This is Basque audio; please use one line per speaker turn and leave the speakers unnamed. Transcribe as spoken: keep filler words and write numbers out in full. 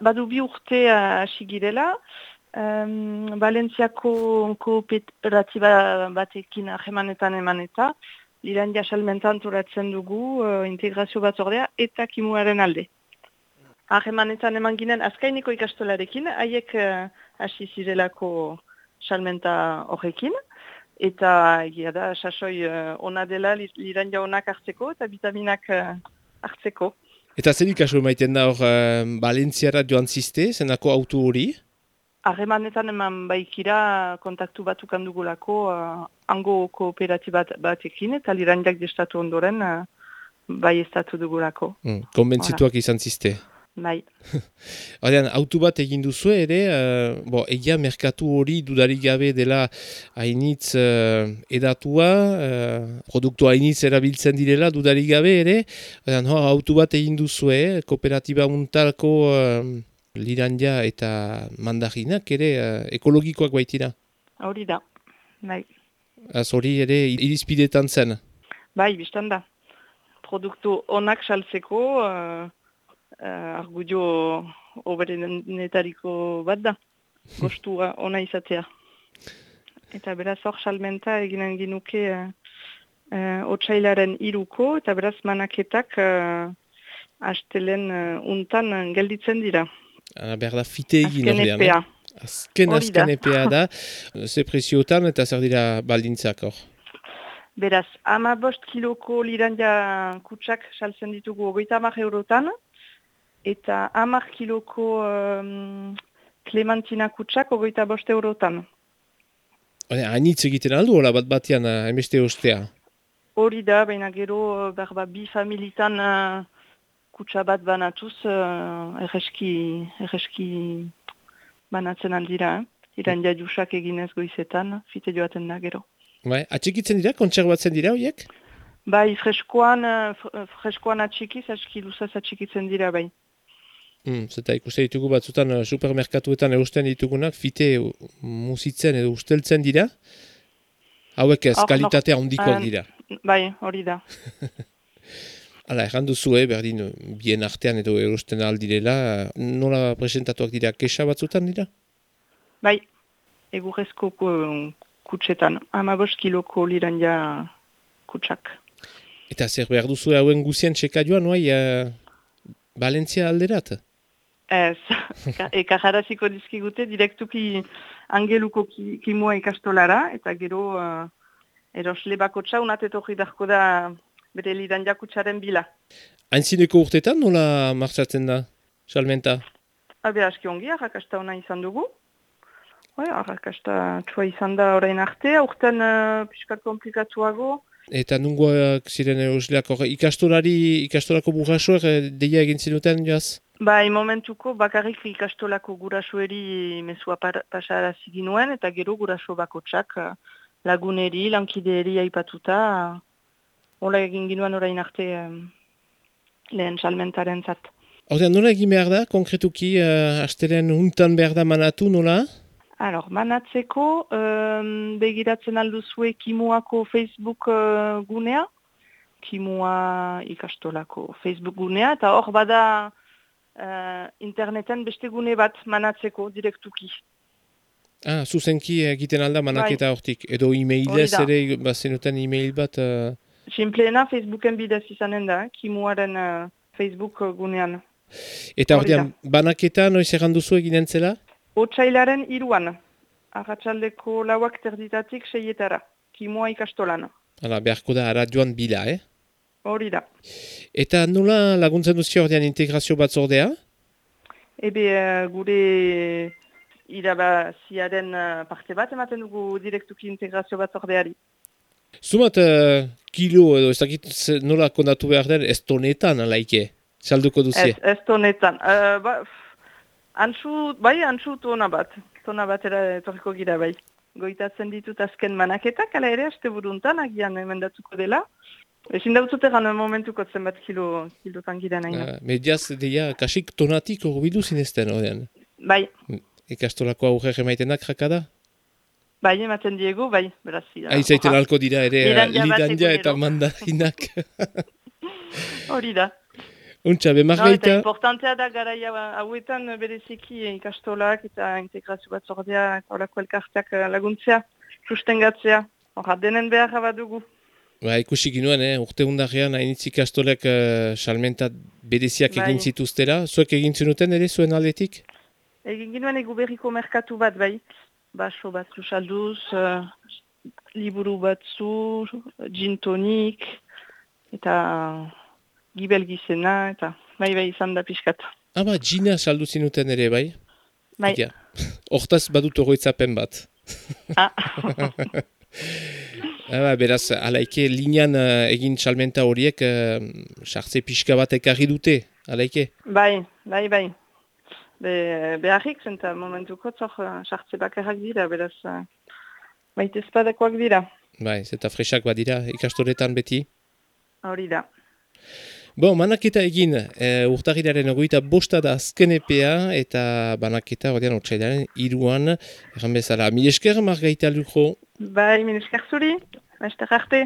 badu bi urte hasi girela, um, Valentziako kooperatiba batekin ahemanetan eman eta, Lirandia salmentan antolatzen dugu uh, integrazio batzordea eta kimuaren alde. Ahemanetan eman ginen azkaineko ikastolarekin, haiek uh, hasi zirelako salmenta horrekin, eta egia da, sasoi uh, ona dela Lirandia onak hartzeko eta vitaminak uh, hartzeko.
Eta zer ikaso maiten da hor uh, Valentziara joan ziste, zenako auto hori?
Harremanetan eman baikira kontaktu batukan dugulako uh, hango kooperatibat batekin eta Lirandiak destatu ondoren uh, bai estatu dugulako.
Mm, konbentzituak izan ziste.
Bai.
Horrean, auto bat egin duzu ere, uh, bo, egia merkatu hori dudarik gabe dela hainitz uh, edatua, uh, produktu hainitz erabiltzen direla dudarik gabe ere, horrean, hor, auto bat egin duzu, eh, kooperatiba untalko uh, Lirandia eta mandarinak ere uh, ekologikoak baitira.
Hori da, bai.
Az hori ere irizpidetan zen.
Bai, biztan da. Produktu onak saltzeko uh, uh, argudio oberenetariko bat da. Gostua ona izatea. Eta beraz hor salmenta eginen ginuke uh, uh, otsailaren iruko eta beraz manaketak uh, astelen uh, untan uh, gelditzen dira.
Ah, behar da fite egin
horrean. Azken epea.
Azken azken epea da. Ze preziotan eta zer dira baldintzak hor?
Beraz, ama bost kiloko Lirandia kutsak saltzen ditugu hogeita hamar eurotan, eta hamar kiloko um, Clementina kutsak hogeita bost eurotan.
Hainitz egiten aldu, hola bat batean hainbeste ostea?
Hori da, baina gero berba bi familitan uh, kutsa bat banatuz, uh, erreski, erreski banatzen aldira. Eh? Lirandia jusak eginez goizetan, fite joaten da gero.
Bai, atxikitzen dira, kontserbatzen dira horiek?
Bai, freskoan, freskoan atxikiz, aski luzaz atxikitzen dira, bai.
Mm, zeta ikusten ditugu batzutan supermerkatuetan eusten ditugunak, fite musitzen edo usteltzen dira, hauek ez,
Or,
kalitatea
no,
handikoak
um,
dira.
Bai, hori da.
Hala, erran duzu, eh, berdin, bien artean edo erosten aldirela, nola presentatuak dira, kesa batzutan dira?
Bai, egurrezko kutsetan, hamabost kiloko Lirandia kutsak.
Eta zer behar duzu hauen guzien txeka joan, noai, uh, Valentzia alderat?
Ez, ekajaraziko dizkigute direktuki angeluko ki, kimua ikastolara, eta gero uh, erosle bakotxa unatetorri darko da bere Lirandia kutsaren bila.
Hainzineko urtetan nola martxatzen da, salmenta?
Habe, aski ongi, arrakasta ona izan dugu. Hoi, arrakasta txua izan da orain arte, aurten uh, piskat komplikatuago.
Eta nungoak ziren erosleak hor, ikastolari, ikastolako burrasoak deia egin zinuten, joaz?
Bai, momentuko bakarrik ikastolako gurasoeri mesua pasarazi ginuen, eta gero guraso bakotsak laguneri, lankideri aipatuta, hola egin ginuen orain arte um, lehen salmentaren zat.
Hortean, nola egin behar da, konkretuki, uh, asteren untan behar da manatu, nola?
Alor, manatzeko, um, begiratzen alduzue Kimuako Facebook uh, gunea, Kimua ikastolako Facebook gunea, eta hor bada uh, interneten beste gune bat manatzeko direktuki.
Ah, zuzenki egiten alda manaketa
bai.
Hortik, edo e-mailez ere, bazenuten e-mail bat... Uh...
Simpleena Facebooken bidez izanen da, Kimuaren uh, Facebook gunean.
Eta horrean, banaketa noiz erranduzu eginen zela?
Otsailaren iruan, arratsaldeko lauak terditatik seietara, Kimua ikastolan.
Hala, beharko da ara joan bila, eh?
Hori da.
Eta nola laguntzen duzi ordean integrazio batzordea?
Ebe gure irabaziaren parte bat ematen dugu direktuki integrazio batzordeari.
Zumat uh, kilo edo ez dakit nola kondatu behar den ez tonetan alaike, salduko duzi?
Ez, ez tonetan. Uh, ba, antzu, bai, antzu tona bat. Tona batera etorriko gira bai. Goitatzen ditut azken manaketak, ala ere, aste buruntan, agian emendatuko dela. Ezin dautzut egan momentuko zenbat kilo, kilotan gira nahi.
Uh, mediaz, deia, kasik tonatik horbidu zinezten, odean?
Bai.
Ikastolako aurre emaitenak jakada?
Bai, ematen diegu, bai, beraz.
Aizaiten alko dira ere, Lirandia eta mandarinak.
Hori da.
Untxa, be
No, eta
Margarita...
importantea da garaia hauetan bereziki ikastolak eta integrazio bat zordea eta horako elkarteak laguntzea, sustengatzea. Horra, denen beharra bat dugu.
Ba, ikusi ginuen, eh? Urte hundarrean hainitz ikastolek uh, salmenta bereziak
Bai.
egin zituztera. Zuek egin zenuten ere, zuen aldetik?
Egin ginuen egu berriko merkatu bat, bai. Baso batzu salduz, uh, liburu batzu, gin tonik, eta gibel gizena, eta bai bai izan da pixkat.
Ah, ba, gina saldu zinuten ere, bai?
Bai.
Ja. Hortaz badut oroitzapen bat.
Ah.
ah, beraz, alaike, linean uh, egin salmenta horiek, uh, sartze pixka bat ekarri dute, alaike?
Bai, bai, bai. Be, beharrik zenta momentuko zor sartze bakarrak dira, beraz, uh, baita espadakoak dira.
Bai, zeta fresak badira ikastoretan beti.
Hori da.
Bon, banaketa egin, e, urtarrilaren ogoita bosta da azken epea, eta banaketa, ordean, otsailaren iruan, erran bezala. Mil esker, Margarita Lujo.
Bai, mil esker zuri, beste arte.